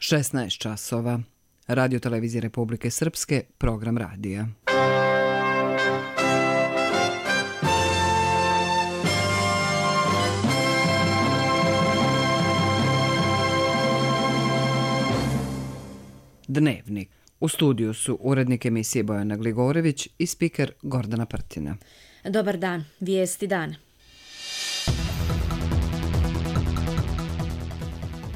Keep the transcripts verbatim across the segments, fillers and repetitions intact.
šesnaest časova. Radio Televizije Republike Srpske, program radija. Dnevnik. U studiju su urednik emisije Bojana Gligorević i spiker Gordana Prtina. Dobar dan, vijesti dana.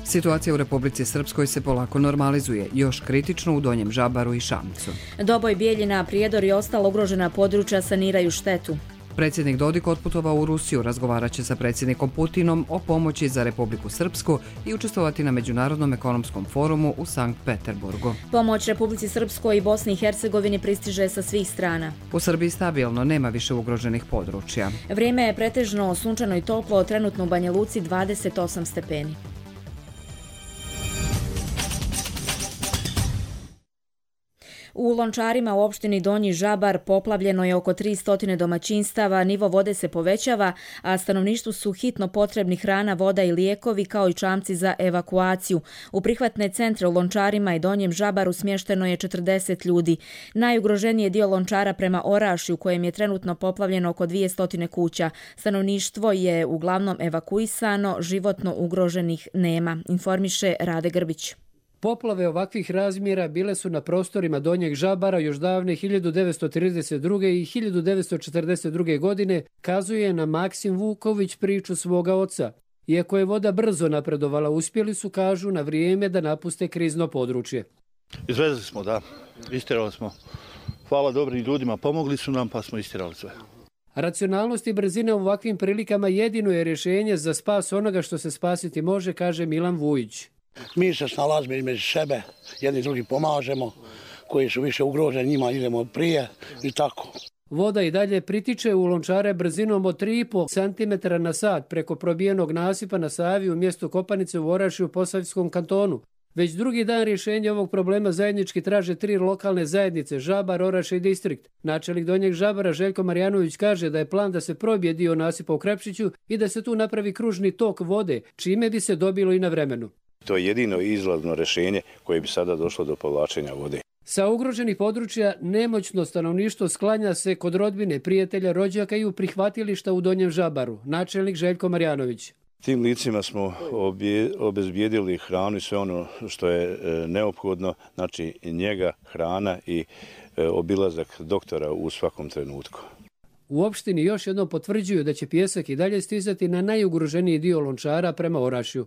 Situacija u Republici Srpskoj se polako normalizuje, još kritično u Donjem Žabaru i Šamcu. Doboj, Bijeljina, Prijedor i ostala ugrožena područja saniraju štetu. Predsjednik Dodik otputovao u Rusiju, razgovarat će sa predsjednikom Putinom o pomoći za Republiku Srpsku i učestvovati na Međunarodnom ekonomskom forumu u Sankt Peterburgu. Pomoć Republici Srpskoj i Bosni i Hercegovini pristiže sa svih strana. U Srbiji stabilno, nema više ugroženih područja. Vrijeme je pretežno sunčano i toplo, trenutno u Banja Luci dvadeset osam stepeni. U Lončarima u opštini Donji Žabar poplavljeno je oko tristo domaćinstava, nivo vode se povećava, a stanovništvu su hitno potrebni hrana, voda i lijekovi kao i čamci za evakuaciju. U prihvatne centre u Lončarima i Donjem Žabaru smješteno je četrdeset ljudi. Najugroženiji je dio Lončara prema Orašju, u kojem je trenutno poplavljeno oko dvjesto kuća. Stanovništvo je uglavnom evakuisano, životno ugroženih nema, informiše Rade Grbić. Poplave ovakvih razmjera bile su na prostorima Donjeg Žabara još davne hiljadu devetsto trideset druge. i hiljadu devetsto četrdeset druge. godine, kazuje na Maksim Vuković priču svoga oca. Iako je voda brzo napredovala, uspjeli su, kažu, na vrijeme da napuste krizno područje. Izvezli smo, da. Istirali smo. Hvala dobrim ljudima, pomogli su nam pa smo istirali sve. Racionalnost i brzina u ovakvim prilikama jedino je rješenje za spas onoga što se spasiti može, kaže Milan Vujić. Mi se snalazimo između sebe, jedni drugi pomažemo, koji su više ugroženi, njima idemo prije i tako. Voda i dalje pritiče u Lončare brzinom od tri i po centimetra na sat preko probijenog nasipa na Savi u mjestu Kopanice u Orašju u Posavskom kantonu. Već drugi dan rješenje ovog problema zajednički traže tri lokalne zajednice, Žabar, Oraš i Distrikt. Načelnik Donjeg Žabara Željko Marjanović kaže da je plan da se probije dio nasipa u Krepšiću i da se tu napravi kružni tok vode, čime bi se dobilo i na vremenu. To je jedino izlazno rješenje koje bi sada došlo do povlačenja vode. Sa ugroženih područja nemoćno stanovništvo sklanja se kod rodbine, prijatelja, rođaka i u prihvatilišta u Donjem Žabaru. Načelnik Željko Marjanović. Tim licima smo obje, obezbijedili hranu i sve ono što je e, neophodno, znači njega, hrana i e, obilazak doktora u svakom trenutku. U opštini još jednom potvrđuju da će pijesak i dalje stizati na najugroženiji dio Lončara prema Orašju.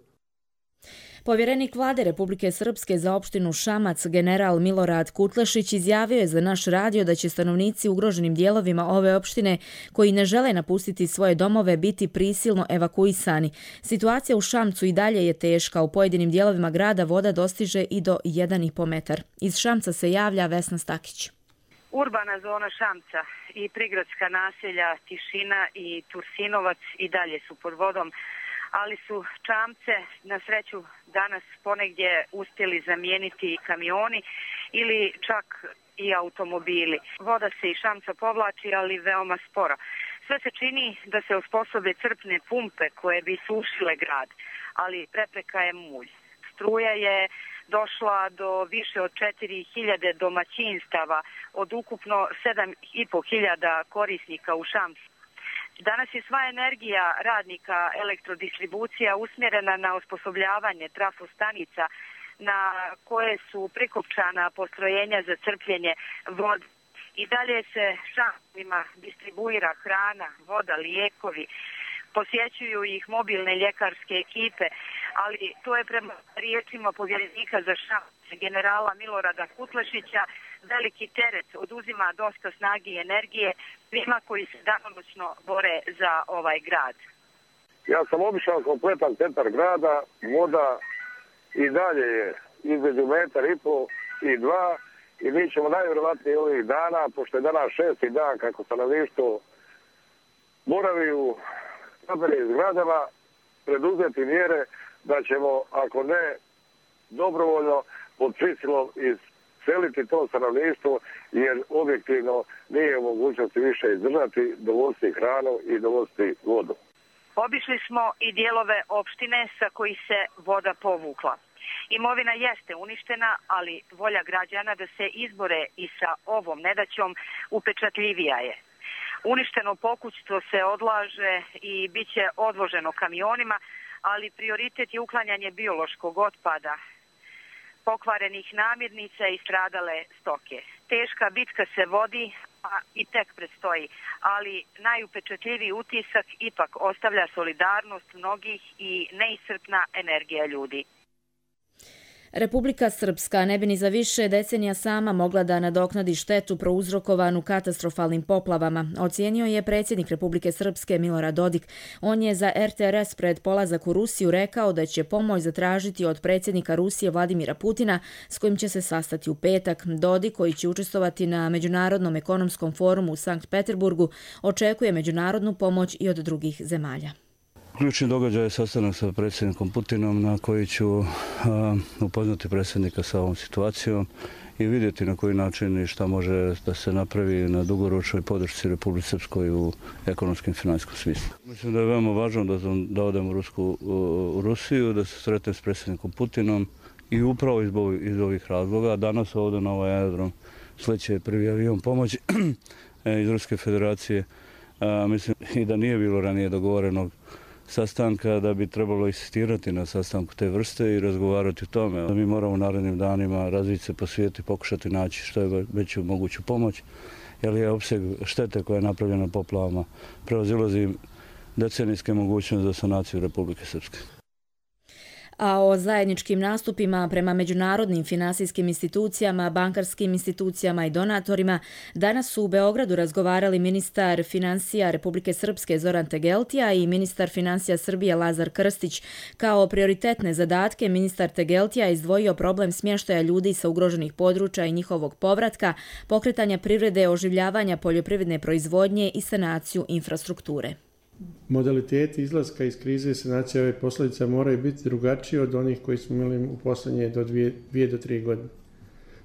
Povjerenik vlade Republike Srpske za opštinu Šamac, general Milorad Kutlešić, izjavio je za naš radio da će stanovnici u ugroženim dijelovima ove opštine koji ne žele napustiti svoje domove biti prisilno evakuisani. Situacija u Šamcu i dalje je teška. U pojedinim dijelovima grada voda dostiže i do jedan i po metar. Iz Šamca se javlja Vesna Stakić. Urbana zona Šamca i prigradska naselja Tišina i Tursinovac i dalje su pod vodom, ali su čamce na sreću danas ponegdje uspjeli zamijeniti kamioni ili čak i automobili. Voda se iz Šamca povlači, ali veoma sporo. Sve se čini da se osposobe crpne pumpe koje bi sušile grad, ali prepreka je mulj. Struja je došla do više od četiri hiljade domaćinstava od ukupno sedam i po hiljada korisnika u Šamcu. Danas je sva energija radnika elektrodistribucija usmjerena na osposobljavanje trafostanica na koje su prikopčana postrojenja za crpljenje vode. I dalje se Šamcima distribuira hrana, voda, lijekovi, posjećuju ih mobilne ljekarske ekipe, ali to je prema riječima povjerenika za Šamac, generala Milorada Kutlešića, veliki teret, oduzima dosta snage i energije svima koji se danonoćno bore za ovaj grad. Ja sam obišao kompletan centar grada, voda i dalje je između metar i pol i dva i mi ćemo najvjerovatnije ovih dana, pošto je danas šesti dan kako stanovništvo boravi u stambenim zgradama, preduzeti mjere da ćemo, ako ne dobrovoljno, pod prisilom izseliti to stanovništvo, jer objektivno nije u mogućnosti više izdržati, dovoziti hranu i dovoziti vodu. Obišli smo i dijelove opštine sa kojih se voda povukla. Imovina jeste uništena, ali volja građana da se izbore i sa ovom nedaćom upečatljivija je. Uništeno pokućstvo se odlaže i bit će odvoženo kamionima, ali prioritet je uklanjanje biološkog otpada, pokvarenih namirnica i stradale stoke. Teška bitka se vodi, a i tek predstoji, ali najupečatljiviji utisak ipak ostavlja solidarnost mnogih i neiscrpna energija ljudi. Republika Srpska ne bi ni za više decenija sama mogla da nadoknadi štetu prouzrokovanu katastrofalnim poplavama, ocijenio je predsjednik Republike Srpske Milorad Dodik. On je za R T R S pred polazak u Rusiju rekao da će pomoć zatražiti od predsjednika Rusije Vladimira Putina, s kojim će se sastati u petak. Dodik, koji će učestvovati na Međunarodnom ekonomskom forumu u Sankt Peterburgu, očekuje međunarodnu pomoć i od drugih zemalja. Ključni događaj je sastanak sa predsjednikom Putinom na koji ću a, upoznati predsjednika sa ovom situacijom i vidjeti na koji način i šta može da se napravi na dugoročnoj podršci Republike Srpskoj u ekonomskom i finansijskom smislu. Mislim da je veoma važno da, da odem u, Rusku, u Rusiju, da se sretnem s predsjednikom Putinom i upravo iz, iz ovih razloga. Danas ovdje na ovaj aerodrom sleće prvi avion pomoći iz Ruske federacije. A, mislim i da nije bilo ranije dogovorenog sastanka, da bi trebalo insistirati na sastanku te vrste i razgovarati o tome. Mi moramo u narednim danima razviti se po svijetu i pokušati naći što je veću moguću pomoć, jer je opseg štete koja je napravljena poplavama prevazilazi decenijske mogućnosti za sanaciju Republike Srpske. A o zajedničkim nastupima prema međunarodnim finansijskim institucijama, bankarskim institucijama i donatorima danas su u Beogradu razgovarali ministar financija Republike Srpske Zoran Tegeltija i ministar financija Srbije Lazar Krstić. Kao prioritetne zadatke ministar Tegeltija izdvojio problem smještaja ljudi sa ugroženih područja i njihovog povratka, pokretanja privrede, oživljavanja poljoprivredne proizvodnje i sanaciju infrastrukture. Modaliteti izlaska iz krize i sanacije ove posljedica moraju biti drugačiji od onih koji smo imali u posljednje do dvije, dvije do tri godine.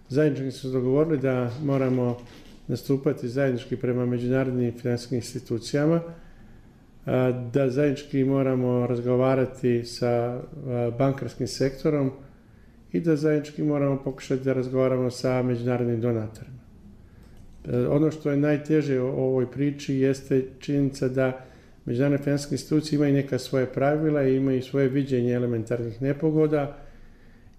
Zajednički smo dogovorili da moramo nastupati zajednički prema međunarodnim finansijskim institucijama, da zajednički moramo razgovarati sa bankarskim sektorom i da zajednički moramo pokušati da razgovaramo sa međunarodnim donatorima. Ono što je najteže u ovoj priči jeste činjenica da međunarodne financijske institucije imaju neka svoje pravila i imaju svoje viđenje elementarnih nepogoda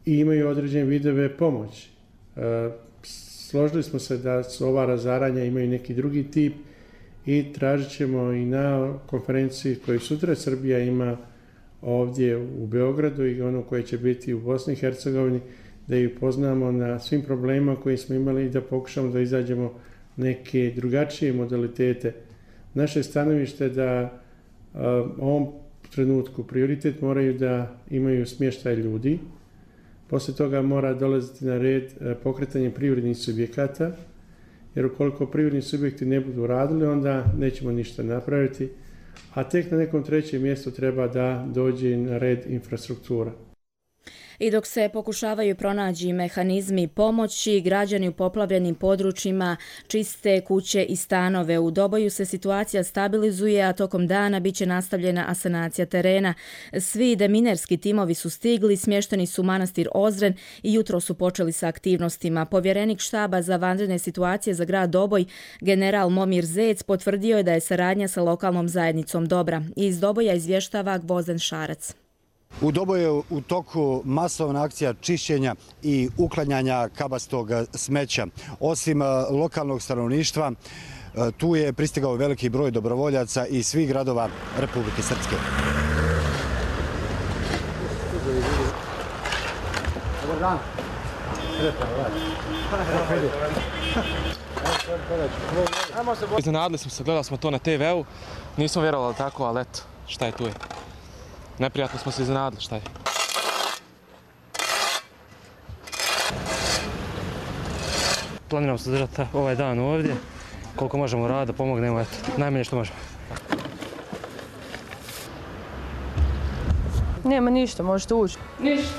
i imaju određene vidove pomoći. E, složili smo se da su ova razaranja imaju neki drugi tip i tražit ćemo i na konferenciji koju sutra Srbija ima ovdje u Beogradu i ono koje će biti u Bosni i Hercegovini, da ju poznamo na svim problemima koje smo imali i da pokušamo da izađemo neke drugačije modalitete. Naše stanovište je da u ovom trenutku prioritet moraju da imaju smještaj ljudi, poslije toga mora dolaziti na red pokretanje privrednih subjekata, jer ukoliko privredni subjekti ne budu radili, onda nećemo ništa napraviti, a tek na nekom trećem mjestu treba da dođe na red infrastruktura. I dok se pokušavaju pronaći mehanizmi pomoći, građani u poplavljenim područjima čiste kuće i stanove. U Doboju se situacija stabilizuje, a tokom dana biće nastavljena asanacija terena. Svi deminerski timovi su stigli, smješteni su u manastir Ozren i jutro su počeli sa aktivnostima. Povjerenik štaba za vanredne situacije za grad Doboj, general Momir Zec, potvrdio je da je saradnja sa lokalnom zajednicom dobra. Iz Doboja izvještava Gvozden Šarac. U Doboju je u toku masovna akcija čišćenja i uklanjanja kabastog smeća. Osim lokalnog stanovništva, tu je pristigao veliki broj dobrovoljaca iz svih gradova Republike Srpske. Dobar dan. Iznenadili smo se, gledali smo to na te veu, nismo vjerovali tako, ali eto, šta je tu je. Neprijatno smo se iznenadili, šta je. Planiramo se držati ovaj dan ovdje, koliko možemo rada, pomognemo, eto, najmanje što možemo. Nema ništa, možete ući. Ništa.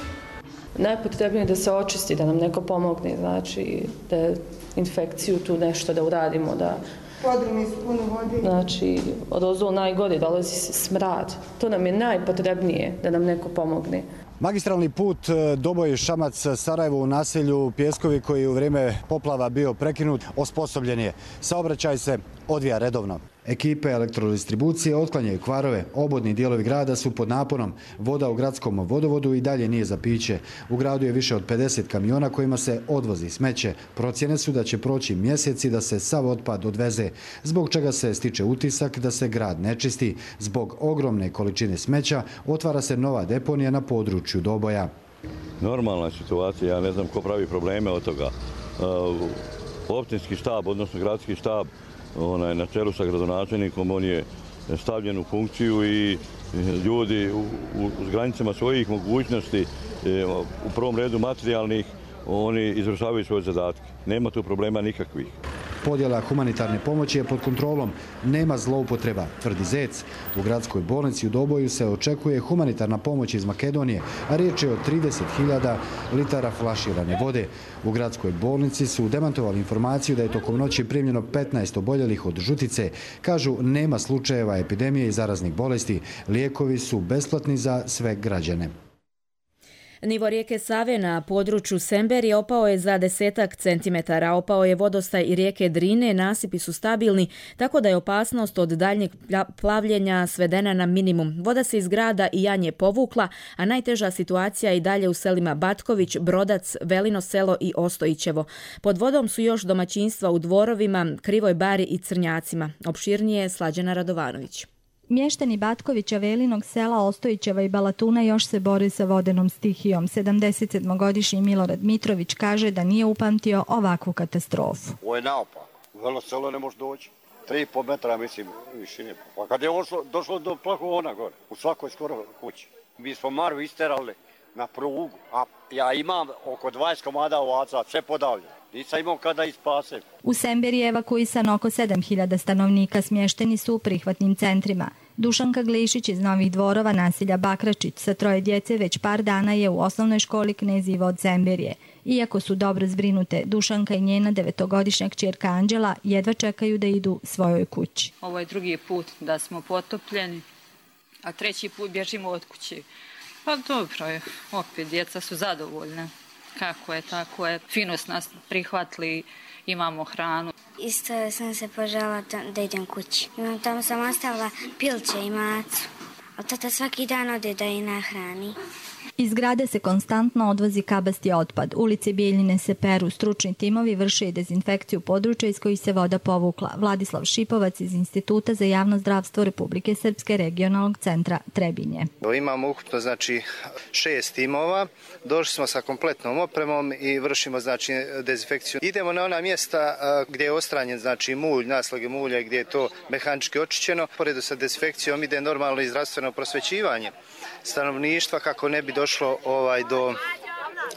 Najpotrebnije je da se očisti, da nam neko pomogne, znači da infekciju tu nešto da uradimo, da Podrumi su puno vode. Znači, od ozdo najgore dolazi smrad. To nam je najpotrebnije da nam neko pomogne. Magistralni put Doboj-Šamac-Sarajevo u naselju Pjeskovi koji je u vrijeme poplava bio prekinut, osposobljen je. Saobraćaj se odvija redovno. Ekipe elektrodistribucije otklanjaju kvarove, obodni dijelovi grada su pod naponom. Voda u gradskom vodovodu i dalje nije za piće. U gradu je više od pedeset kamiona kojima se odvozi smeće. Procjene su da će proći mjeseci da se sav otpad odveze, zbog čega se stiče utisak da se grad ne čisti. Zbog ogromne količine smeća otvara se nova deponija na području Doboja. Normalna situacija, ja ne znam ko pravi probleme od toga. Općinski štab, odnosno gradski štab, onaj, na čelu sa gradonačelnikom, on je stavljen u funkciju i ljudi u, u, u granicama svojih mogućnosti, u prvom redu materijalnih, oni izvršavaju svoje zadatke. Nema tu problema nikakvih. Podjela humanitarne pomoći je pod kontrolom. Nema zloupotreba, tvrdi Zec. U gradskoj bolnici u Doboju se očekuje humanitarna pomoć iz Makedonije, a riječ je o trideset hiljada litara flaširane vode. U gradskoj bolnici su demantovali informaciju da je tokom noći primljeno petnaest oboljelih od žutice. Kažu, nema slučajeva epidemije i zaraznih bolesti. Lijekovi su besplatni za sve građane. Nivo rijeke Save na području Semberije opao je za desetak centimetara. Opao je vodostaj i rijeke Drine, nasipi su stabilni, tako da je opasnost od daljnjeg plavljenja svedena na minimum. Voda se iz grada i Janje povukla, a najteža situacija je i dalje u selima Batković, Brodac, Velino selo i Ostojićevo. Pod vodom su još domaćinstva u Dvorovima, Krivoj Bari i Crnjacima. Opširnije Slađana Radovanović. Mještani Batkovića, Velinog sela, Ostojićeva i Balatuna još se bore sa vodenom stihijom. sedamdesetsedmogodišnji Milorad Mitrović kaže da nije upamtio ovakvu katastrofu. Ovo je naopako. U Velo selo ne može doći. Tri i po metra, mislim, višine. Pa kad je došlo, došlo do plahona gore, u svakoj skoro kući. Mi smo Maru isterali na prugu, a ja imam oko dvadeset komada ovaca, sve podavljeno. Nisam imao kada ispasem. U Semberiji je evakuisan oko sedam hiljada stanovnika, smješteni su u prihvatnim centrima. Dušanka Glišić iz Novih Dvorova, naselja Bakračić, sa troje djece već par dana je u osnovnoj školi Knez Ivo od Semberije. Iako su dobro zbrinute, Dušanka i njena devetogodišnja kćerka Anđela jedva čekaju da idu svojoj kući. Ovo je drugi put da smo potopljeni, a treći put bježimo od kući. Pa dobro je, opet djeca su zadovoljne. Kako je, tako je. Fino su nas prihvatili, imamo hranu. Isto sam se požela da idem kući. Imam, tamo sam ostavila pilće i macu. A tata svaki dan ode da je nahrani. Iz grade se konstantno odvozi kabasti otpad. Ulice Bijeljine se peru, stručni timovi vrše i dezinfekciju područja iz kojih se voda povukla. Vladislav Šipovac iz Instituta za javno zdravstvo Republike Srpske regionalnog centra Trebinje. Imamo ukupno znači šest timova. Došli smo sa kompletnom opremom i vršimo znači dezinfekciju. Idemo na ona mjesta gdje je ostranjen znači mulj, naslage mulja, gdje je to mehanički očišćeno. Poredu sa dezinfekcijom ide normalno i zdravstveno prosvećivanje stanovništva kako ne bi došlo ovaj do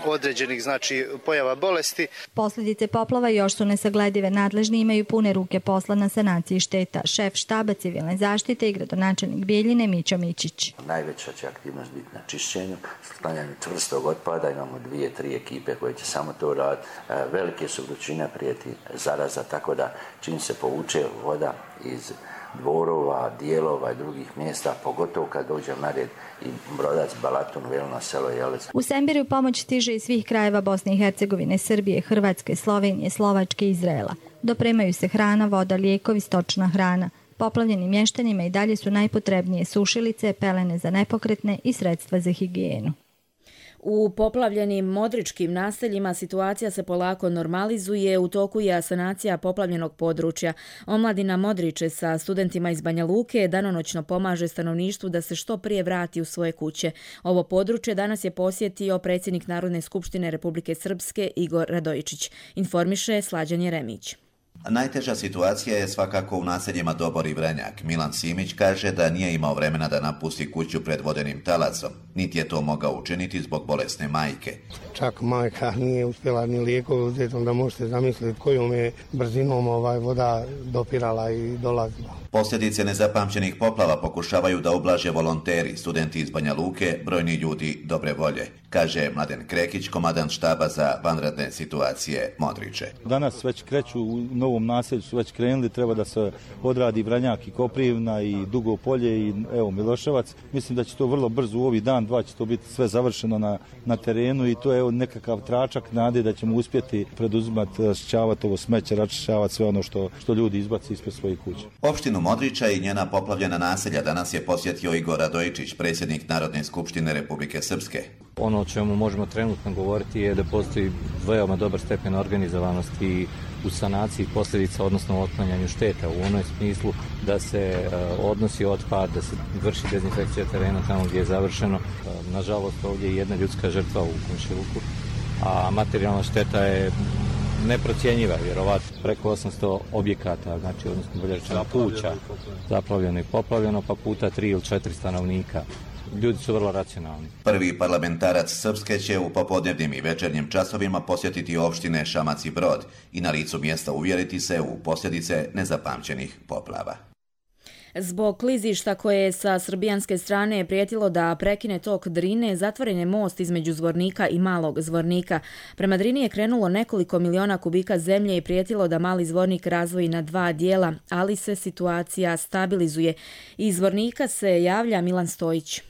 određenih znači pojava bolesti. Posljedice poplava još su nesagledive. Nadležni imaju pune ruke posla na sanaciji šteta. Šef štaba civilne zaštite i gradonačelnik Bijeljine Mićo Mićić. Najveća će aktivnost biti na čišćenju, sklanjanju čvrstog otpada. Imamo dvije, tri ekipe koje će samo to raditi. Velike su vrućine, prijeti zaraza, tako da čim se povuče voda iz Dvorova, dijelova i drugih mjesta, pogotovo kad dođe na red i Brodac, Balatun, Velino selo i Jelec. U Semberiju pomoć stiže iz svih krajeva Bosne i Hercegovine, Srbije, Hrvatske, Slovenije, Slovačke i Izraela. Dopremaju se hrana, voda, lijekovi, stočna hrana. Poplavljenim mještanima i dalje su najpotrebnije sušilice, pelene za nepokretne i sredstva za higijenu. U poplavljenim modričkim naseljima situacija se polako normalizuje, u toku je sanacija poplavljenog područja. Omladina Modriče sa studentima iz Banja Luke danonoćno pomaže stanovništvu da se što prije vrati u svoje kuće. Ovo područje danas je posjetio predsjednik Narodne skupštine Republike Srpske Igor Radojičić. Informiše Slađan Jeremić. Najteža situacija je svakako u naseljima Dobor i Vrenjak. Milan Simić kaže da nije imao vremena da napusti kuću pred vodenim talacom, niti je to mogao učiniti zbog bolesne majke. Čak majka nije uspjela ni lijekove uzeti, onda možete zamisliti kojom je brzinom ovaj voda dopirala i dolazila. Posljedice nezapamćenih poplava pokušavaju da ublaže volonteri, studenti iz Banja Luke, brojni ljudi dobre volje. kaže Mladen Krekić, komandant štaba za vanredne situacije Modriče. Danas već kreću u novom naselju, su već krenuli, treba da se odradi Vranjak i Koprivna i Dugo polje i evo Miloševac. Mislim da će to vrlo brzo u ovih dan, dva će to biti sve završeno na, na terenu i to je nekakav tračak nade da ćemo uspjeti preduzimati, raščišćavati ovo smeće, raščišćavati sve ono što, što ljudi izbaci ispred svojih kuća. Opštinu Modriča i njena poplavljena naselja danas je posjetio Igor Radojičić, predsjednik Narodne skupštine Republike Srpske. Ono o čemu možemo trenutno govoriti je da postoji veoma dobar stepen organizovanosti u sanaciji posljedica, odnosno otklanjanju šteta u onom smislu da se uh, odnosi otpad, da se vrši dezinfekcija terena tamo gdje je završeno. Uh, nažalost, ovdje je jedna ljudska žrtva u komšiluku, a materijalna šteta je neprocjenjiva, vjerovatno preko osamsto objekata, znači odnosno bolje rečeno kuća zaplavljeno i poplavljeno, pa puta tri ili četiri stanovnika. Ljudi su vrlo racionalni. Prvi parlamentarac Srpske će u popodnevnim i večernjim časovima posjetiti opštine Šamac i Brod i na licu mjesta uvjeriti se u posljedice nezapamćenih poplava. Zbog klizišta koje je sa srbijanske strane prijetilo da prekine tok Drine, zatvoren je most između Zvornika i Malog Zvornika. Prema Drini je krenulo nekoliko miliona kubika zemlje i prijetilo da Mali Zvornik razvoji na dva dijela, ali se situacija stabilizuje. Iz Zvornika se javlja Milan Stojić.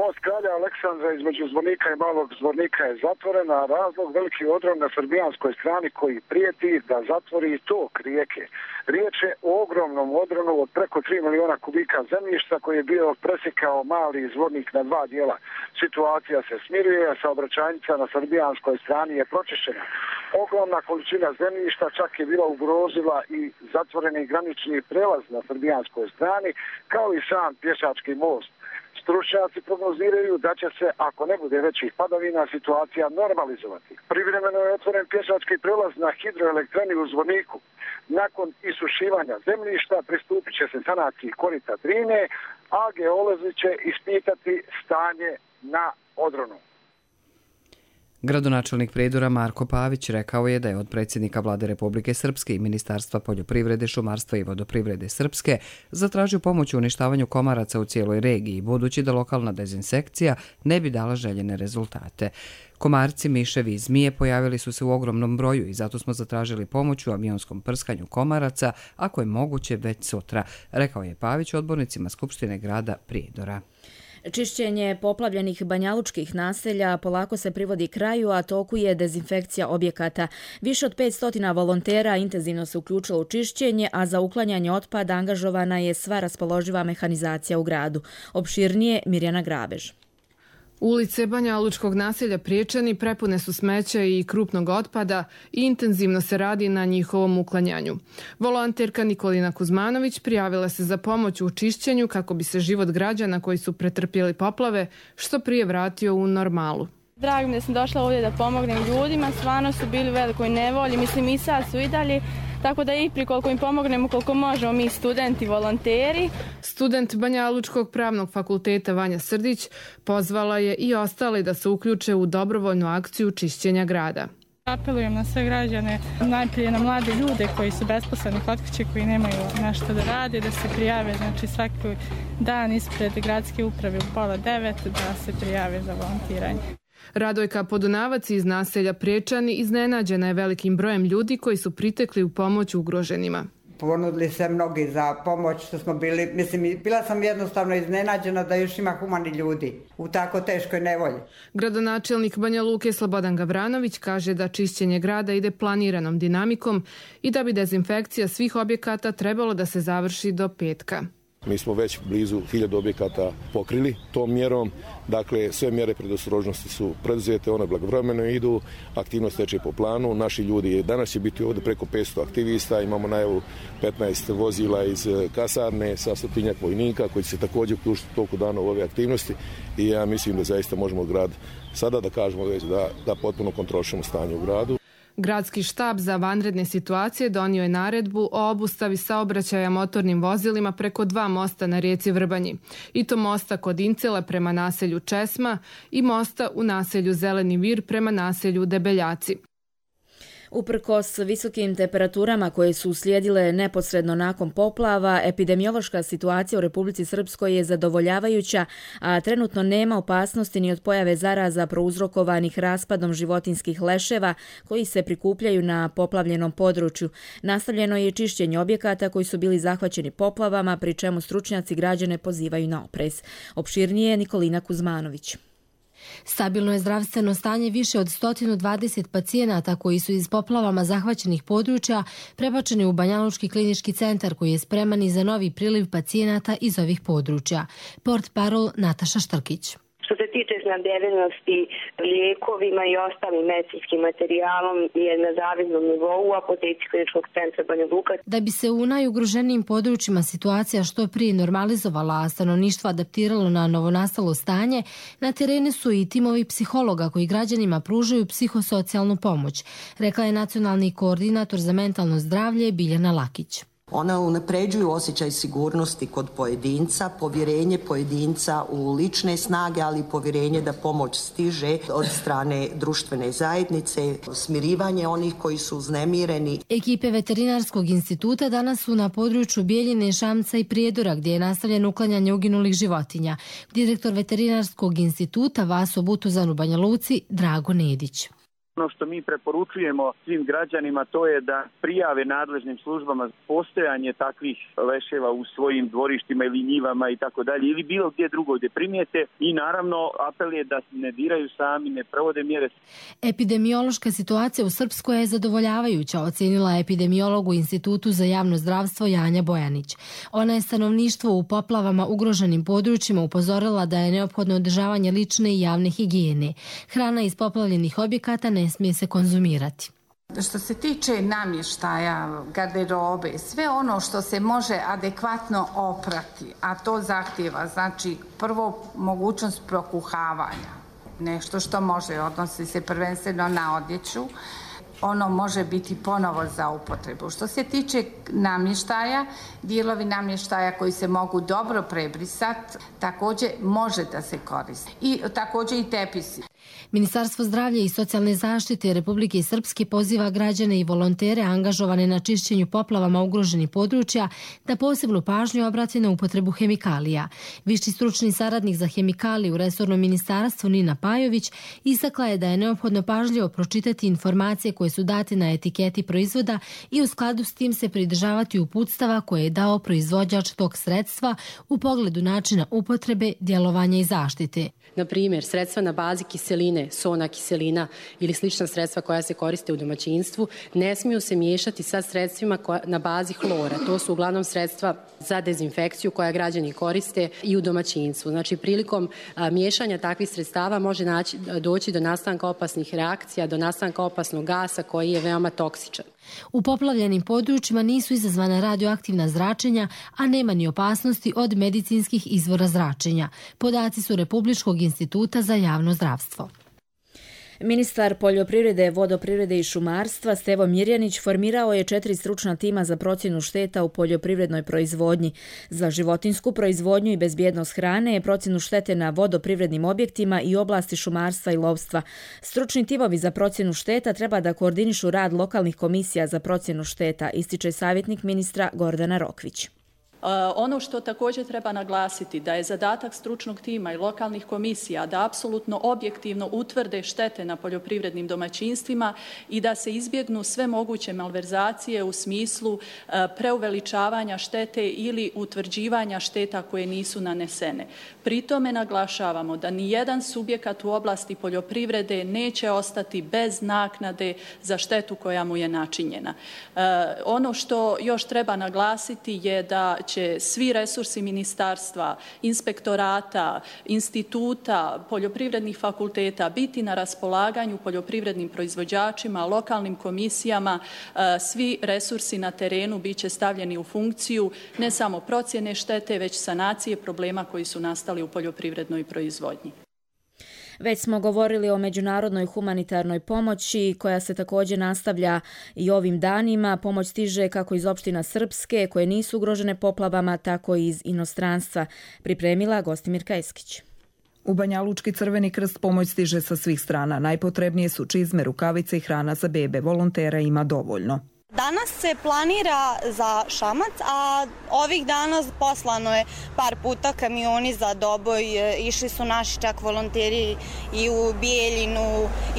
Most kralja Aleksandra između Zvornika i Malog Zvornika je zatvoren, a razlog veliki odron na srbijanskoj strani koji prijeti da zatvori tok rijeke. Riječ je o ogromnom odronu od preko tri miliona kubika zemljišta koji je bio presjekao Mali Zvornik na dva dijela. Situacija se smiruje, a saobraćajnica na srbijanskoj strani je pročišćena. Ogromna količina zemljišta čak je bila ugrozila i zatvoreni granični prelaz na srbijanskoj strani, kao i sam pješački most. Stručnjaci prognoziraju da će se, ako ne bude većih padavina, situacija normalizovati. Privremeno je otvoren pješački prelaz na hidroelektrani u Zvorniku. Nakon isušivanja zemljišta pristupit će se sanaciji korita Drine, a geolozi će ispitati stanje na odronu. Gradonačelnik Prijedora Marko Pavić rekao je da je od predsjednika Vlade Republike Srpske i Ministarstva poljoprivrede, šumarstva i vodoprivrede Srpske zatražio pomoć u uništavanju komaraca u cijeloj regiji, budući da lokalna dezinsekcija ne bi dala željene rezultate. Komarci, miševi i zmije pojavili su se u ogromnom broju i zato smo zatražili pomoć u avionskom prskanju komaraca, ako je moguće već sutra, rekao je Pavić odbornicima Skupštine grada Prijedora. Čišćenje poplavljenih banjalučkih naselja polako se privodi kraju, a toku je dezinfekcija objekata. Više od petsto volontera intenzivno se uključilo u čišćenje, a za uklanjanje otpada angažovana je sva raspoloživa mehanizacija u gradu. Opširnije Mirjana Grabež. Ulice banjalučkog naselja Priječani prepune su smeća i krupnog otpada i intenzivno se radi na njihovom uklanjanju. Volonterka Nikolina Kuzmanović prijavila se za pomoć u čišćenju kako bi se život građana koji su pretrpjeli poplave što prije vratio u normalu. Drago mi da sam došla ovdje da pomognem ljudima, stvarno su bili u velikoj nevolji, mislim i sad su i dalje, tako da i pri koliko im pomognemo, koliko možemo mi studenti, volonteri. Student Banjalučkog pravnog fakulteta Vanja Srdić pozvala je i ostale da se uključe u dobrovoljnu akciju čišćenja grada. Apelujem na sve građane, najprije na mlade ljude koji su besposleni kod kuće, koji nemaju nešto da rade, da se prijave, znači svaki dan ispred gradske uprave u pola devet da se prijave za volontiranje. Radojka Podunavac iz naselja Priječani iznenađena je velikim brojem ljudi koji su pritekli u pomoć ugroženima. Ponudili se mnogi za pomoć što smo bili, mislim, bila sam jednostavno iznenađena da još ima humani ljudi u tako teškoj nevolji. Gradonačelnik Banja Luke Slobodan Gavranović kaže da čišćenje grada ide planiranom dinamikom i da bi dezinfekcija svih objekata trebalo da se završi do petka. Mi smo već blizu hiljadu objekata pokrili tom mjerom, dakle sve mjere predostrožnosti su preduzete, one blagovremeno idu, aktivnost teče po planu, naši ljudi, danas će biti ovdje preko petsto aktivista, imamo najavu petnaest vozila iz kasarne sa stotinjak vojnika koji će se također uključiti toliko dana u ove aktivnosti i ja mislim da zaista možemo grad sada da kažemo već da, da potpuno kontrolišemo stanje u gradu. Gradski štab za vanredne situacije donio je naredbu o obustavi saobraćaja motornim vozilima preko dva mosta na rijeci Vrbanji. I to mosta kod Incela prema naselju Česma i mosta u naselju Zeleni Vir prema naselju Debeljaci. Uprkos visokim temperaturama koje su uslijedile neposredno nakon poplava, epidemiološka situacija u Republici Srpskoj je zadovoljavajuća, a trenutno nema opasnosti ni od pojave zaraza prouzrokovanih raspadom životinskih leševa koji se prikupljaju na poplavljenom području. Nastavljeno je čišćenje objekata koji su bili zahvaćeni poplavama, pri čemu stručnjaci građane pozivaju na oprez. Opširnije Nikolina Kuzmanović. Stabilno je zdravstveno stanje više od sto dvadeset pacijenata koji su iz poplavama zahvaćenih područja prebačeni u Banjalučki klinički centar koji je spreman i za novi priliv pacijenata iz ovih područja. Portparol Nataša Štrkić. Što se tiče snabdevenosti lijekovima i ostalim medicinskim materijalom je na zavidnom nivou u apoteci Kliničkog centra Banja Luka. Da bi se u najugroženijim područjima situacija što prije normalizovala, a stanovništvo adaptiralo na novonastalo stanje, na terenu su i timovi psihologa koji građanima pružaju psihosocijalnu pomoć, rekla je nacionalni koordinator za mentalno zdravlje Biljana Lakić. Ona unapređuju osjećaj sigurnosti kod pojedinca, povjerenje pojedinca u lične snage, ali i povjerenje da pomoć stiže od strane društvene zajednice, smirivanje onih koji su uznemireni. Ekipe Veterinarskog instituta danas su na području Bijeljine, Šamca i Prijedora, gdje je nastavljeno uklanjanje uginulih životinja. Direktor Veterinarskog instituta Vaso Butuzan u Banja Luci Drago Nedić. Ono što mi preporučujemo svim građanima to je da prijave nadležnim službama postojanje takvih leševa u svojim dvorištima ili njivama i tako dalje ili bilo gdje drugo gdje primijete i naravno apel je da ne diraju sami, ne provode mjere. Epidemiološka situacija u Srpskoj je zadovoljavajuća, ocenila epidemiolog u Institutu za javno zdravstvo Janja Bojanić. Ona je stanovništvo u poplavama ugroženim područjima upozorila da je neophodno održavanje lične i javne higijene. Hrana iz poplavljenih objekata ne smije se konzumirati. Što se tiče namještaja, garderobe, sve ono što se može adekvatno oprati, a to zahtjeva, znači prvo mogućnost prokuhavanja, nešto što može, odnosi se prvenstveno na odjeću, ono može biti ponovo za upotrebu. Što se tiče namještaja, dijelovi namještaja koji se mogu dobro prebrisati, također može da se koristi. I također i tepisi. Ministarstvo zdravlja i socijalne zaštite Republike Srpske poziva građane i volontere angažovane na čišćenju poplavama ugroženih područja da posebnu pažnju obrate na upotrebu hemikalija. Viši stručni saradnik za hemikalije u resornom ministarstvu Nina Pajović istakla je da je neophodno pažljivo pročitati informacije koje su date na etiketi proizvoda i u skladu s tim se pridržavati uputstava koje je dao proizvođač tog sredstva u pogledu načina upotrebe, djelovanja i zaštite. Na primjer, sredstva na bazi kiseline, sona kiselina ili slična sredstva koja se koriste u domaćinstvu ne smiju se miješati sa sredstvima na bazi hlora. To su uglavnom sredstva za dezinfekciju koja građani koriste i u domaćinstvu. Znači, prilikom a, miješanja takvih sredstava može naći, doći do nastanka opasnih reakcija, do nastanka opasnog gasa koji je veoma toksičan. U poplavljenim područjima nisu izazvana radioaktivna zračenja, a nema ni opasnosti od medicinskih izvora zračenja. Podaci su Republičkog instituta za javno zdravstvo. Ministar poljoprivrede, vodoprivrede i šumarstva Stevo Mirjanić formirao je četiri stručna tima za procjenu šteta u poljoprivrednoj proizvodnji. Za životinsku proizvodnju i bezbjednost hrane, procjenu štete na vodoprivrednim objektima i oblasti šumarstva i lovstva. Stručni timovi za procjenu šteta treba da koordinišu rad lokalnih komisija za procjenu šteta, ističe savjetnik ministra Gordana Rokvić. Ono što također treba naglasiti da je zadatak stručnog tima i lokalnih komisija da apsolutno objektivno utvrde štete na poljoprivrednim domaćinstvima i da se izbjegnu sve moguće malverzacije u smislu preuveličavanja štete ili utvrđivanja šteta koje nisu nanesene. Pri tome naglašavamo da nijedan subjekat u oblasti poljoprivrede neće ostati bez naknade za štetu koja mu je načinjena. Ono što još treba naglasiti je da će svi resursi ministarstva, inspektorata, instituta, poljoprivrednih fakulteta biti na raspolaganju poljoprivrednim proizvođačima, lokalnim komisijama. Svi resursi na terenu bit će stavljeni u funkciju ne samo procjene štete, već sanacije problema koji su nastali u poljoprivrednoj proizvodnji. Već smo govorili o međunarodnoj humanitarnoj pomoći koja se također nastavlja i ovim danima. Pomoć stiže kako iz opština Srpske koje nisu ugrožene poplavama, tako i iz inostranstva. Pripremila Gostimirka Eskić. U Banjalučki Crveni krst pomoć stiže sa svih strana. Najpotrebnije su čizme, rukavice i hrana za bebe. Volontera ima dovoljno. Danas se planira za Šamac, a ovih dana poslano je par puta kamioni za Doboj. Išli su naši čak volonteri i u Bijeljinu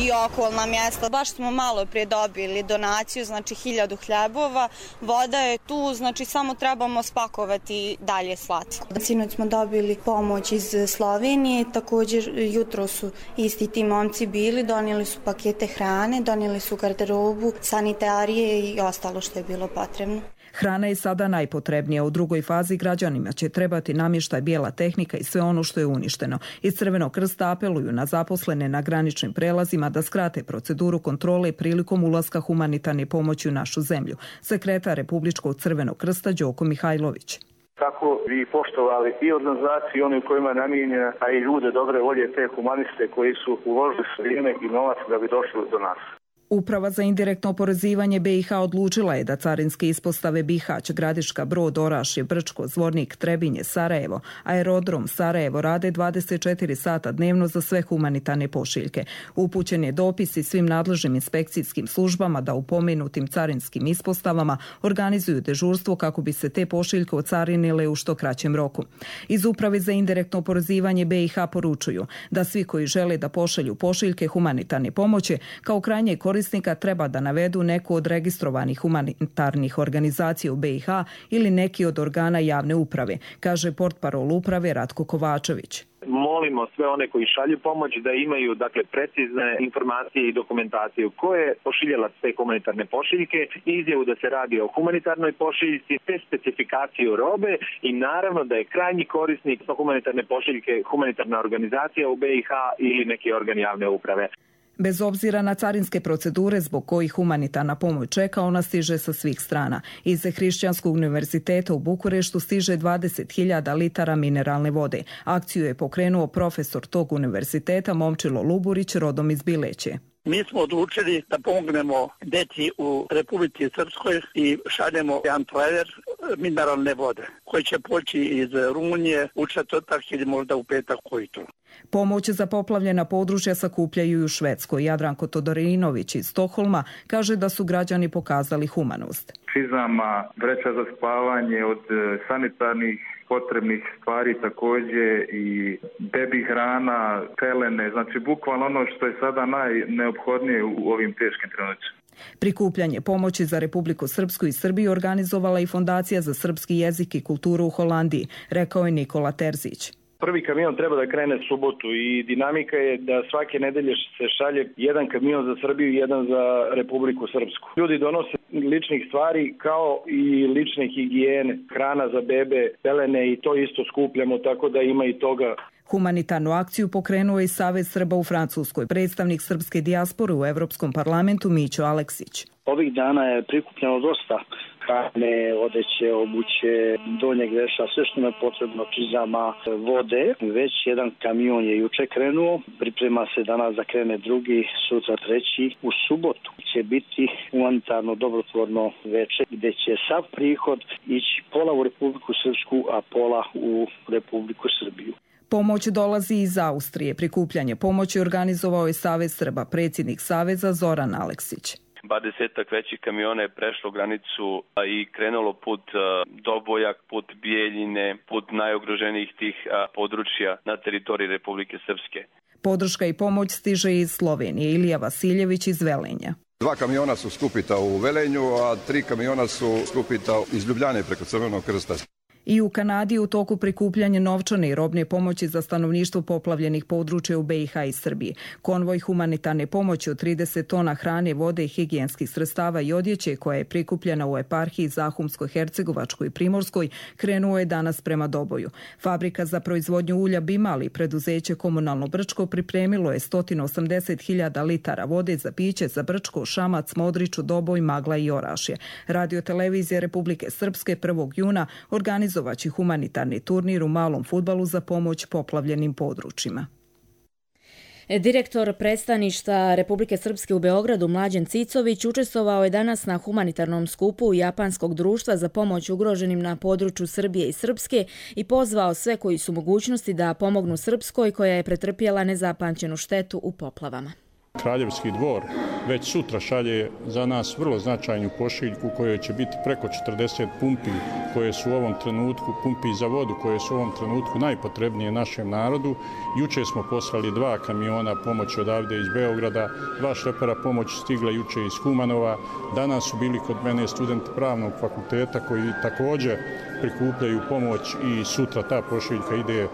i okolna mjesta. Baš smo malo prije dobili donaciju, znači hiljadu hljebova. Voda je tu, znači samo trebamo spakovati dalje slati. Sinoć smo dobili pomoć iz Slovenije, također jutro su isti ti momci bili, donijeli su pakete hrane, donijeli su garderobu, sanitarije i ostalo što je bilo potrebno. Hrana je sada najpotrebnija. U drugoj fazi građanima će trebati namještaj, bijela tehnika i sve ono što je uništeno. Iz Crvenog krsta apeluju na zaposlene na graničnim prelazima da skrate proceduru kontrole prilikom ulaska humanitarne pomoći u našu zemlju. Sekretar Republičkog Crvenog krsta Đoko Mihajlović. Kako bi poštovali i organizaciju, oni u kojima je namijenjena, a i ljude dobre volje, te humaniste koji su uložili vrijeme i novac da bi došli do nas. Uprava za indirektno oporezivanje B i H odlučila je da carinske ispostave Bihać, Gradiška, Brod, Orašje, Brčko, Zvornik, Trebinje, Sarajevo, aerodrom Sarajevo rade dvadeset četiri sata dnevno za sve humanitarne pošiljke. Upućen je dopis i svim nadležnim inspekcijskim službama da u pomenutim carinskim ispostavama organizuju dežurstvo kako bi se te pošiljke ocarinile u što kraćem roku. Iz Uprave za indirektno oporezivanje B i H poručuju da svi koji žele da pošalju pošiljke humanitarne pomoći kao krajnje korisnike korisnika treba da navedu neku od registrovanih humanitarnih organizacija u B i H ili neki od organa javne uprave, kaže portparol uprave Ratko Kovačević. Molimo sve one koji šalju pomoć da imaju dakle precizne informacije i dokumentaciju ko je pošiljalac te humanitarne pošiljke, izjavu da se radi o humanitarnoj pošiljci, te specifikaciju robe i naravno da je krajnji korisnik humanitarne pošiljke humanitarna organizacija u B i H ili neki organ javne uprave. Bez obzira na carinske procedure zbog kojih humanitarna pomoć čeka, ona stiže sa svih strana. Iz Hrišćanskog univerziteta u Bukureštu stiže dvadeset hiljada litara mineralne vode. Akciju je pokrenuo profesor tog univerziteta Momčilo Luburić, rodom iz Bileće. Mi smo odlučili da pomognemo deci u Republici Srpskoj i šaljemo jedan trailer mineralne vode koji će poći iz Rumunije u četvrtak ili možda u petak ujutro. Pomoć za poplavljena područja sakupljaju i u Švedskoj. Jadranko Todorinović iz Stokholma kaže da su građani pokazali humanost. Čizama, vreća za spavanje, od sanitarnih potrebnih stvari također i bebi hrana, pelene, znači bukvalno ono što je sada najneophodnije u ovim teškim trenucima. Prikupljanje pomoći za Republiku Srpsku i Srbiju organizovala i Fondacija za srpski jezik i kulturu u Holandiji, rekao je Nikola Terzić. Prvi kamion treba da krene subotu i dinamika je da svake nedelje se šalje jedan kamion za Srbiju i jedan za Republiku Srpsku. Ljudi donose ličnih stvari kao i lične higijene, hrana za bebe, pelene i to isto skupljamo, tako da ima i toga. Humanitarnu akciju pokrenuo je i Savez Srba u Francuskoj. Predstavnik srpske dijaspore u Evropskom parlamentu Mićo Aleksić. Ovih dana je prikupljeno dosta hrane, odeće, obuće, donjeg veša, sve što je potrebno, čizama, vode. Već jedan kamion je juče krenuo, priprema se danas da krene drugi, sutra treći. U subotu će biti humanitarno dobrotvorno veče gdje će sav prihod ići pola u Republiku Srpsku, a pola u Republiku Srbiju. Pomoć dolazi iz Austrije. Prikupljanje pomoći organizovao je Savez Srba, predsjednik Saveza Zoran Aleksić. dvadesetak većih kamiona je prešlo granicu i krenulo put Dobojak, put Bijeljine, put najugroženijih tih područja na teritoriji Republike Srpske. Podrška i pomoć stiže iz Slovenije. Ilija Vasiljević iz Velenja. Dva kamiona su skupita u Velenju, a tri kamiona su skupita iz Ljubljane preko Crvenog krsta. I u Kanadi u toku prikupljanja novčane i robne pomoći za stanovništvo poplavljenih područja u B i H i Srbiji. Konvoj humanitarne pomoći od trideset tona hrane, vode i higijenskih sredstava i odjeće koja je prikupljena u eparhiji Zahumskoj, Hercegovačkoj i Primorskoj krenuo je danas prema Doboju. Fabrika za proizvodnju ulja Bimali, preduzeće Komunalno Brčko, pripremilo je sto osamdeset hiljada litara vode za piće za Brčko, Šamac, Modriču, Doboj, Magla i Orašje. Radio televizija Republike Srpske prvog juna organizovala organizovaći humanitarni turnir u malom fudbalu za pomoć poplavljenim područjima. Direktor predstavništva Republike Srpske u Beogradu Mlađan Cicović učestvovao je danas na humanitarnom skupu Japanskog društva za pomoć ugroženim na području Srbije i Srpske i pozvao sve koji su mogućnosti da pomognu Srpskoj koja je pretrpjela nezapamćenu štetu u poplavama. Kraljevski dvor već sutra šalje za nas vrlo značajnu pošiljku kojoj će biti preko četrdeset pumpi koje su u ovom trenutku, pumpi za vodu koje su u ovom trenutku najpotrebnije našem narodu. Juče smo poslali dva kamiona pomoći odavde iz Beograda, dva šlepera pomoći stigla juče iz Kumanova. Danas su bili kod mene studenti pravnog fakulteta koji također prikupljaju pomoć i sutra ta pošiljka ide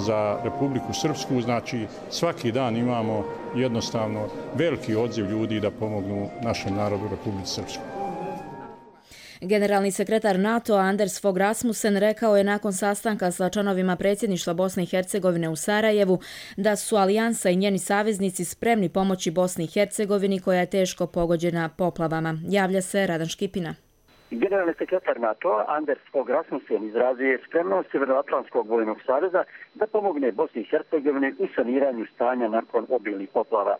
za Republiku Srpsku. Znači svaki dan imamo jednostavno veliki odziv ljudi da pomognu našem narodu u Republici Srpskoj. Generalni sekretar NATO Anders Fogh Rasmussen rekao je nakon sastanka sa članovima predsjedništva Bosne i Hercegovine u Sarajevu da su alijansa i njeni saveznici spremni pomoći Bosni i Hercegovini koja je teško pogođena poplavama. Javlja se Radan Škipina. Generalni sekretar NATO Anders Fogh Rasmussen izrazio je spremnost Sjevernoatlantskog vojnog saveza da pomogne Bosni i Hercegovini u saniranju stanja nakon obilnih poplava.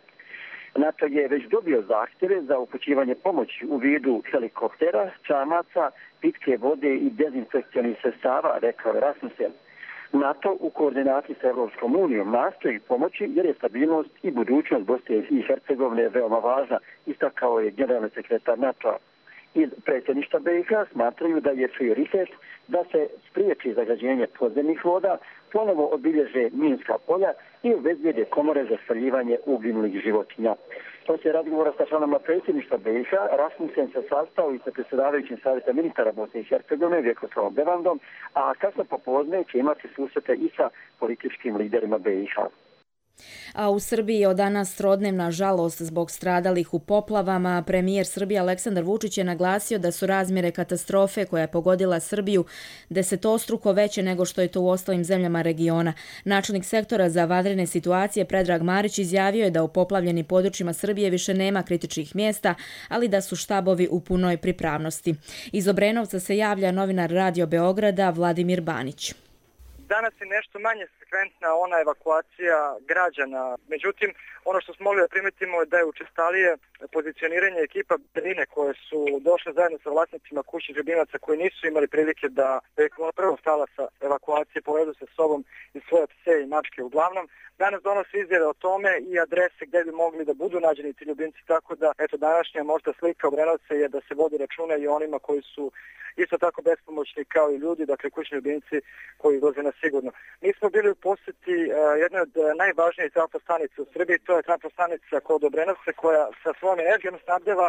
NATO je već dobio zahtjeve za upućivanje pomoći u vidu helikoptera, čamaca, pitke vode i dezinfekcionih sredstava, rekao je Rasmussen. NATO u koordinaciji sa Evropskom unijom nastoji pomoći jer je stabilnost i budućnost Bosne i Hercegovine veoma važna, istakao je generalni sekretar NATO. Iz predsjedništva B i H smatraju da je prioritet da se spriječi zagađenje podzemnih voda, ponovo obilježe minska polja i obezbijede komore za spaljivanje uginulih životinja. Poslije razgovora sa članovima predsjedništva B i H, Rasmussen se sastao i sa predsjedavajućim savjeta ministara Bosne i Hercegovine Vjekoslavom Bevandom, a kasno popodne će imati susrete i sa političkim liderima B i H. A u Srbiji je od danas trodnevna žalost zbog stradalih u poplavama. Premijer Srbije Aleksandar Vučić je naglasio da su razmjere katastrofe koja je pogodila Srbiju desetostruko veće nego što je to u ostalim zemljama regiona. Načelnik sektora za vanredne situacije Predrag Marić izjavio je da u poplavljenim područjima Srbije više nema kritičnih mjesta, ali da su štabovi u punoj pripravnosti. Iz Obrenovca se javlja novinar Radio Beograda Vladimir Banić. Danas je nešto manje frekventna ona evakuacija građana. Međutim, ono što smo mogli da primetimo je da je učestalije pozicioniranje ekipa Berine koje su došle zajedno sa vlasnicima kućnih ljubimaca koji nisu imali prilike da prvo stala sa evakuacije, povedu sa sobom i svoje pse i mačke uglavnom. Danas donosi izjave o tome i adrese gdje bi mogli da budu nađeni ti ljubimci, tako da eto današnja možda slika Obrenovca je da se vodi računa i onima koji su isto tako bespomoćni kao i ljudi, dakle kućni ljubimci koji izlaze na sigurno. Mi smo bili u posjeti uh, jednoj od najvažnijih trafostanica u Srbiji, to je trafostanica kod Obrenovca koja sa svojom energijom snabdeva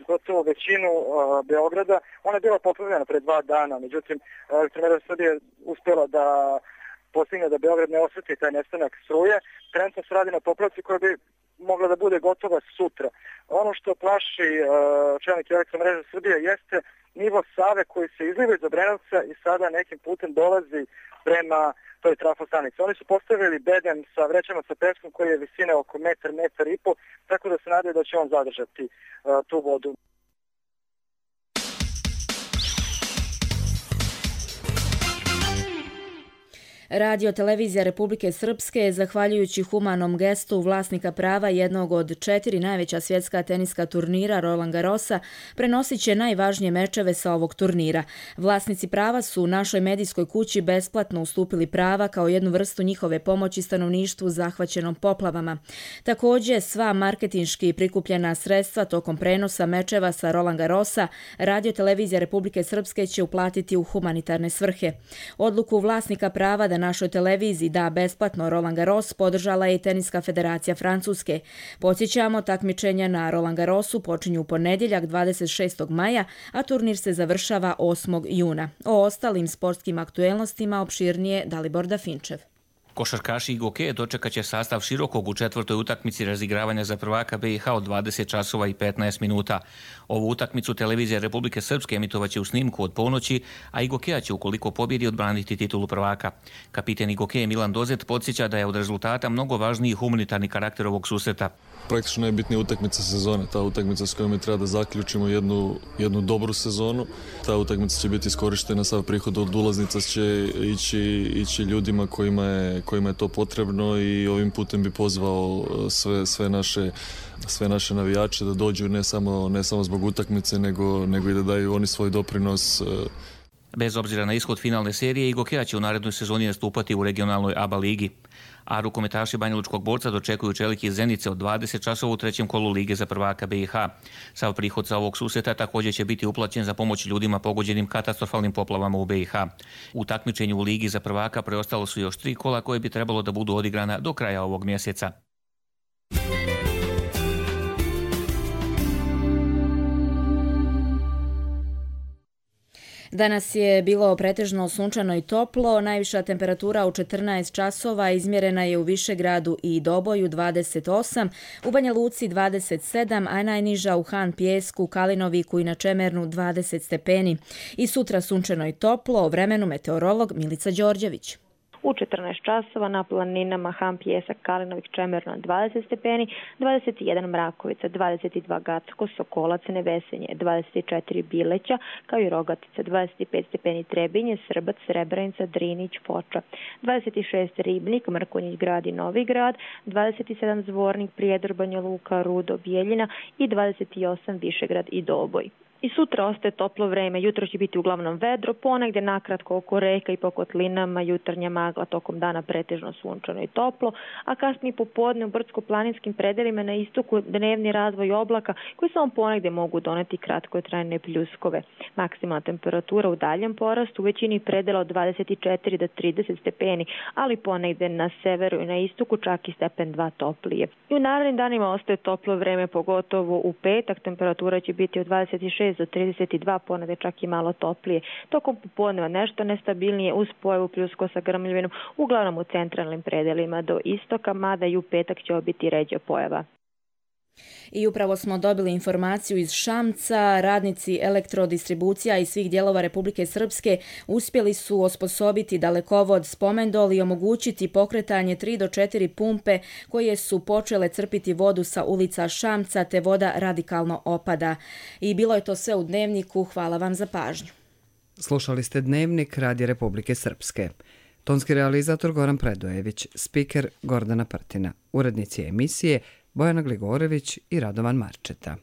gotovo većinu uh, Beograda. Ona je bila poplavljena pre dva dana, međutim Elektroenergija Srbije je uspjela da postigne da Beograd ne osjeti taj nestanak struje. Trenutno se radi na popravci koja bi mogla da bude gotova sutra. Ono što plaši uh, čelnik Elektroenergije Srbije jeste nivo Save koji se izliva iz Obrenovca i sada nekim putem dolazi prema toj trafostanici. Oni su postavili beden sa vrećama sa peskom koji je visine oko metar, metar i po, tako da se nadaju da će on zadržati uh, tu vodu. Radio televizija Republike Srpske, zahvaljujući humanom gestu vlasnika prava jednog od četiri najveća svjetska teniska turnira Roland Garrosa, prenosit će najvažnije mečeve sa ovog turnira. Vlasnici prava su našoj medijskoj kući besplatno ustupili prava kao jednu vrstu njihove pomoći stanovništvu zahvaćenom poplavama. Također, sva marketinški prikupljena sredstva tokom prenosa mečeva sa Roland Garrosa Radio televizija Republike Srpske će uplatiti u humanitarne svrhe. Odluku vlasnika prava da našoj televiziji da besplatno Roland Garros podržala je i Teniska federacija Francuske. Podsjećamo, takmičenja na Roland Garrosu počinju u ponedjeljak dvadeset šestog maja, a turnir se završava osmog juna. O ostalim sportskim aktuelnostima opširnije Dalibor Dafinčev. Košarkaši i Gokeje dočekat će sastav Širokog u četvrtoj utakmici razigravanja za prvaka B i H od dvadeset časova i petnaest minuta. Ovu utakmicu televizija Republike Srpske emitovaće u snimku od ponoći, a i Gokeja će ukoliko pobjedi odbraniti titulu prvaka. Kapiten i Gokeje Milan Dozet podsjeća da je od rezultata mnogo važniji humanitarni karakter ovog susreta. Praktično najbitnija utakmica sezone, ta utakmica s kojom je treba da zaključimo jednu, jednu dobru sezonu. Ta utakmica će biti iskorištena, sav prihod od ulaznica će ići, ići ljudima kojima je kojima je to potrebno i ovim putem bi pozvao sve, sve naše sve naše navijače da dođu ne samo, ne samo zbog utakmice, nego, nego i da daju oni svoj doprinos. Bez obzira na ishod finalne serije, Igokea će u narednoj sezoni nastupati u regionalnoj A B A ligi. A rukometaši Banjalučkog Borca dočekuju Čeliki iz Zenice od dvadeset časova u trećem kolu Lige za prvaka B i H. Sav prihod sa ovog susreta također će biti uplaćen za pomoć ljudima pogođenim katastrofalnim poplavama u B i H. U takmičenju u Ligi za prvaka preostalo su još tri kola koje bi trebalo da budu odigrana do kraja ovog mjeseca. Danas je bilo pretežno sunčano i toplo, najviša temperatura u četrnaest časova izmjerena je u Višegradu i Doboju dvadeset osam, u Banja Luci dvadeset sedam, a najniža u Han Pijesku, Kalinoviku i na Čemernu dvadeset stepeni. I sutra sunčano i toplo, o vremenu meteorolog Milica Đorđević. U četrnaest časova na planinama Han Pijesak, Kalinovik, Čemerno dvadeset stepeni, dvadeset jedan Mrakovica, dvadeset dva Gacko, Sokolac, Nevesenje, dvadeset četiri Bileća, kao i Rogatica, dvadeset pet stepeni Trebinje, Srbac, Srebrenica, Drinić, Foča, dvadeset šest Ribnik, Mrkonjić Grad i Novi Grad, dvadeset sedam Zvornik, Prijedor, Banja Luka, Rudo, Bijeljina i dvadeset osam Višegrad i Doboj. I sutra ostaje toplo vreme, jutro će biti uglavnom vedro, ponegdje nakratko oko reka i po kotlinama, jutarnja magla, tokom dana pretežno sunčano i toplo, a kasnije popodne u brdsko-planinskim predelima na istoku dnevni razvoj oblaka koji samo ponegdje mogu doneti kratkotrajne pljuskove. Maksimalna temperatura u daljem porastu u većini predela od dvadeset četiri do trideset stepeni, ali ponegdje na severu i na istoku čak i stepen dva toplije. I u narednim danima ostaje toplo vreme, pogotovo u petak, temperatura će biti od dvadeset šest do trideset dva, ponegdje čak i malo toplije. Tokom popodneva nešto nestabilnije uz pojavu pljuskova sa grmljavinom, uglavnom u centralnim predelima do istoka, mada i u petak će biti ređa pojava. I upravo smo dobili informaciju iz Šamca. Radnici elektrodistribucija iz svih dijelova Republike Srpske uspjeli su osposobiti dalekovod Spomendol i omogućiti pokretanje tri do četiri pumpe koje su počele crpiti vodu sa ulica Šamca, te voda radikalno opada. I bilo je to sve u Dnevniku. Hvala vam za pažnju. Slušali ste Dnevnik Radija Republike Srpske. Tonski realizator Goran Predojević, spiker Gordana Prtina, urednici emisije Bojana Gligorević i Radovan Marčeta.